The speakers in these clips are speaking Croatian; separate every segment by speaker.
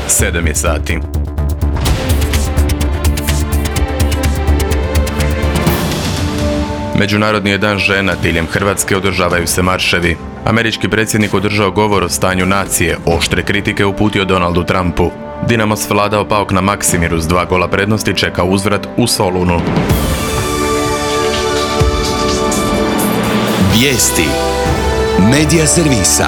Speaker 1: 7 je sati. Međunarodni je dan žena, diljem Hrvatske održavaju se marševi. Američki predsjednik održao govor o stanju nacije, oštre kritike uputio Donaldu Trumpu. Dinamo s Vladao Paok na Maksimiru s 2 gola prednosti čeka uzvrat u Solunu.
Speaker 2: Vijesti Medija servisa.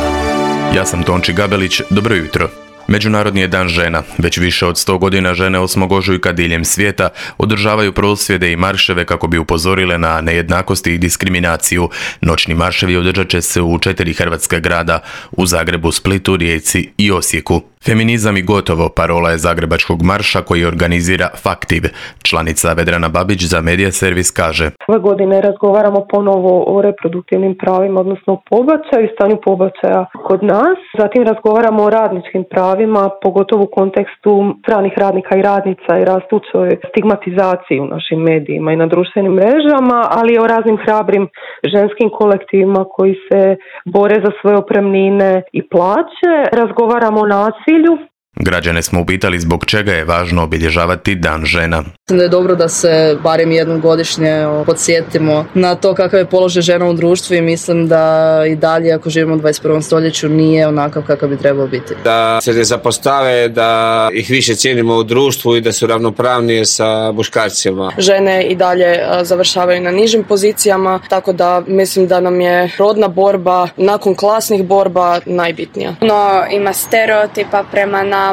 Speaker 1: Ja sam Tonči Gabelić, dobro jutro. Međunarodni je dan žena. Već više od 100 godina žene 8. ožujka diljem svijeta održavaju prosvjede i marševe kako bi upozorile na nejednakosti i diskriminaciju. Noćni marševi održat će se u 4 hrvatska grada, u Zagrebu, Splitu, Rijeci i Osijeku. Feminizam i gotovo parola je Zagrebačkog marša koji organizira Faktiv. Članica Vedrana Babić za Medija servis kaže:
Speaker 3: Ove godine razgovaramo ponovo o reproduktivnim pravima, odnosno o pobačaju i stanju pobačaja kod nas. Zatim razgovaramo o radničkim pravima, pogotovo u kontekstu stranih radnika i radnica i rastućoj stigmatizaciji u našim medijima i na društvenim mrežama, ali i o raznim hrabrim ženskim kolektivima koji se bore za svoje otpremnine i plaće. Razgovaramo o nasilju.
Speaker 1: Građane smo upitali zbog čega je važno obilježavati Dan žena.
Speaker 4: Mislim da je dobro da se barem jednom godišnje podsjetimo na to kakav je položaj žena u društvu i mislim da i dalje, ako živimo u 21. stoljeću, nije onakav kakav bi trebao biti.
Speaker 5: Da se ne zapostave, da ih više cijenimo u društvu i da su ravnopravnije sa muškarcima.
Speaker 6: Žene i dalje završavaju na nižim pozicijama, tako da mislim da nam je rodna borba nakon klasnih borba najbitnija.
Speaker 7: No, ima stereotipa prema nama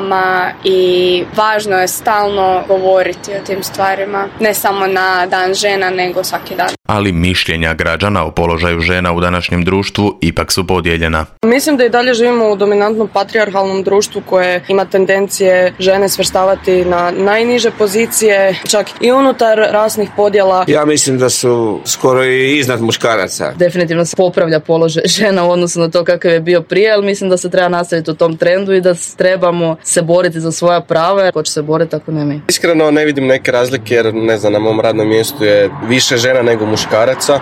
Speaker 7: i važno je stalno govoriti o tim stvarima, ne samo na Dan žena, nego svaki dan.
Speaker 1: Ali mišljenja građana o položaju žena u današnjem društvu ipak su podijeljena.
Speaker 6: Mislim da i dalje živimo u dominantnom patrijarhalnom društvu koje ima tendencije žene svrstavati na najniže pozicije, čak i unutar rasnih podjela.
Speaker 5: Ja mislim da su skoro i iznad muškaraca.
Speaker 4: Definitivno se popravlja položaj žena u odnosu na to kakav je bio prije, ali mislim da se treba nastaviti u tom trendu i da trebamo se boriti za svoja prava. Ko će se boriti ako ne mi?
Speaker 8: Iskreno ne vidim neke razlike jer na mom radnom mjestu je više žena nego muškaraca.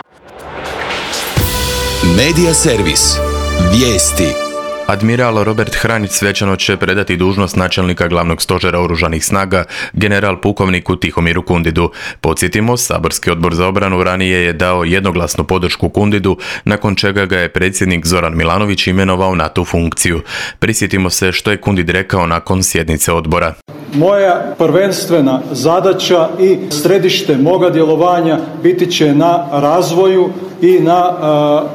Speaker 2: Medija servis. Vijesti.
Speaker 1: Admiral Robert Hranjić svečano će predati dužnost načelnika glavnog stožera oružanih snaga general pukovniku Tihomiru Kundidu. Podsjetimo, saborski odbor za obranu ranije je dao jednoglasnu podršku Kundidu, nakon čega ga je predsjednik Zoran Milanović imenovao na tu funkciju. Prisjetimo se što je Kundid rekao nakon sjednice odbora.
Speaker 9: Moja prvenstvena zadaća i središte moga djelovanja biti će na razvoju i na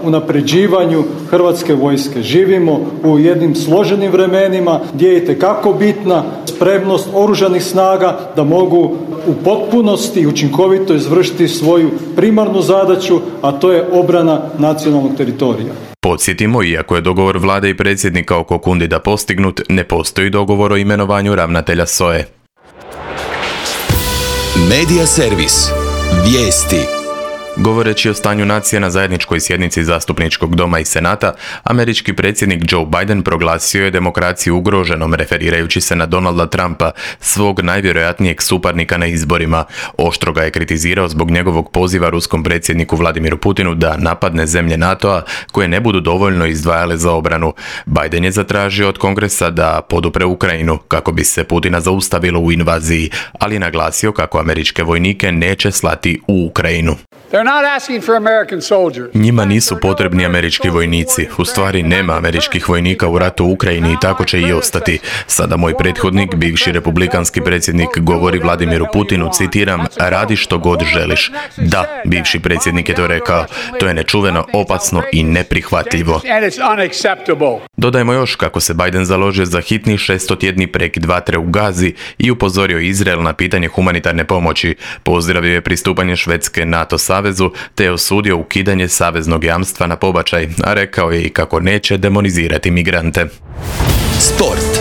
Speaker 9: unapređivanju Hrvatske vojske. Živimo u jednim složenim vremenima gdje je itekako bitna spremnost oružanih snaga da mogu u potpunosti i učinkovito izvršiti svoju primarnu zadaću, a to je obrana nacionalnog teritorija.
Speaker 1: Podsjetimo, iako je dogovor vlade i predsjednika oko Kundida postignut, ne postoji dogovor o imenovanju ravnatelja SOA-e.
Speaker 2: Medija servis. Vijesti.
Speaker 1: Govoreći o stanju nacije na zajedničkoj sjednici Zastupničkog doma i Senata, američki predsjednik Joe Biden proglasio je demokraciju ugroženom, referirajući se na Donalda Trumpa, svog najvjerojatnijeg suparnika na izborima. Oštro ga je kritizirao zbog njegovog poziva ruskom predsjedniku Vladimiru Putinu da napadne zemlje NATO-a koje ne budu dovoljno izdvajale za obranu. Biden je zatražio od Kongresa da podupre Ukrajinu kako bi se Putina zaustavilo u invaziji, ali naglasio kako američke vojnike neće slati u Ukrajinu. Njima nisu potrebni američki vojnici. U stvari nema američkih vojnika u ratu u Ukrajini i tako će i ostati. Sada moj prethodnik, bivši republikanski predsjednik, govori Vladimiru Putinu, citiram, radi što god želiš. Da, bivši predsjednik je to rekao. To je nečuveno, opasno i neprihvatljivo. Dodajmo još kako se Biden založio za hitni 600-tjedni prekid vatre u Gazi i upozorio Izrael na pitanje humanitarne pomoći. Pozdravio je pristupanje Švedske NATO savezu te je osudio ukidanje saveznog jamstva na pobačaj, a rekao je i kako neće demonizirati migrante.
Speaker 2: Sport.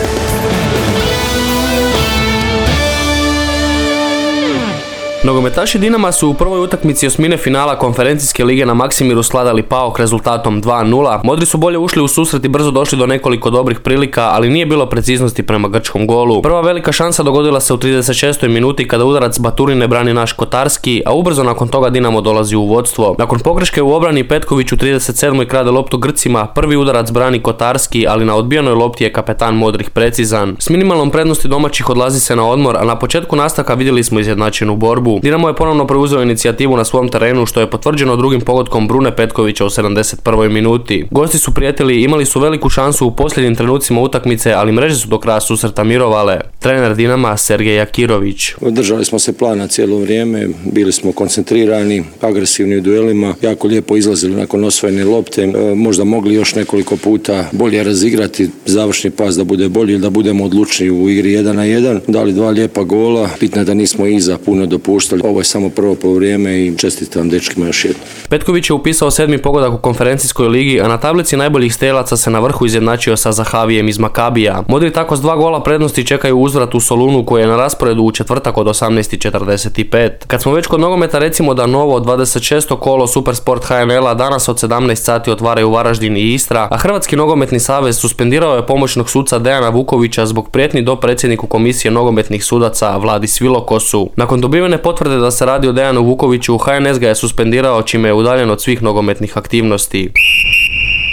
Speaker 10: Nogometaši Dinama su u prvoj utakmici osmine finala konferencijske lige na Maksimiru svladali PAOK rezultatom 2:0. Modri su bolje ušli u susret i brzo došli do nekoliko dobrih prilika, ali nije bilo preciznosti prema grčkom golu. Prva velika šansa dogodila se u 36. minuti kada udarac Baturine brani naš Kotarski, a ubrzo nakon toga Dinamo dolazi u vodstvo. Nakon pogreške u obrani Petković u 37. krade loptu Grcima, prvi udarac brani Kotarski, ali na odbijenoj lopti je kapetan Modrih precizan. S minimalnom prednosti domaćih odlazi se na odmor, a na početku nastavka vidjeli smo izjednačenu borbu. Dinamo je ponovno preuzeo inicijativu na svom terenu, što je potvrđeno drugim pogodkom Brune Petkovića u 71. minuti. Gosti su prijetili, imali su veliku šansu u posljednjim trenucima utakmice, ali mreže su do kraja susreta mirovale. Trener Dinama Sergej Jakirović.
Speaker 11: Držali smo se plana cijelo vrijeme, bili smo koncentrirani, agresivni u duelima, jako lijepo izlazili nakon osvojene lopte, možda mogli još nekoliko puta bolje razigrati završni pas da bude bolji, da budemo odlučni u igri 1-1. Dali 2 lijepa gola, bitno je da nismo iza puno dopuštali. Ovo je samo prvo poluvrijeme i čestitam dečkima još jednom.
Speaker 10: Petković je upisao 7. pogodak u konferencijskoj ligi, a na tablici najboljih strelaca se na vrhu izjednačio sa Zahavijem iz Makabija. Modri tako s 2 gola prednosti čekaju uzvrat u Solunu koji je na rasporedu u četvrtak od 18:45. Kad smo već kod nogometa, recimo da novo 26. kolo Supersport HNL-a danas od 17 sati otvaraju Varaždin i Istra, a Hrvatski nogometni savez suspendirao je pomoćnog suca Dejana Vukovića zbog prijetnji do predsjedniku komisije nogometnih sudaca Vladi Svilokosu. Nakon dobivene potvrde da se radi o Dejanu Vukoviću, HNS ga je suspendirao, čime je udaljen od svih nogometnih aktivnosti.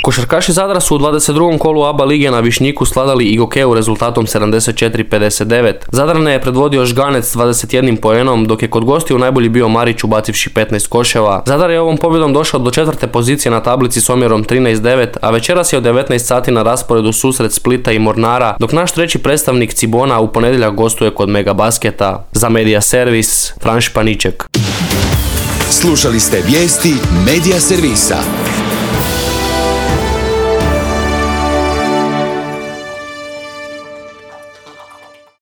Speaker 10: Košarkaši Zadra su u 22. kolu ABA lige na Višnjiku svladali Igokeu rezultatom 74-59. Zadrane je predvodio Žganec s 21 poenom, dok je kod gostiju najbolji bio Marić ubacivši 15 koševa. Zadar je ovom pobjedom došao do 4. pozicije na tablici s omjerom 13-9, a večeras je od 19 sati na rasporedu susret Splita i Mornara, dok naš treći predstavnik Cibona u ponedjeljak gostuje kod Mega Basketa. Za Medija Servis, Fran Španiček.
Speaker 2: Slušali ste vijesti Medija Servisa.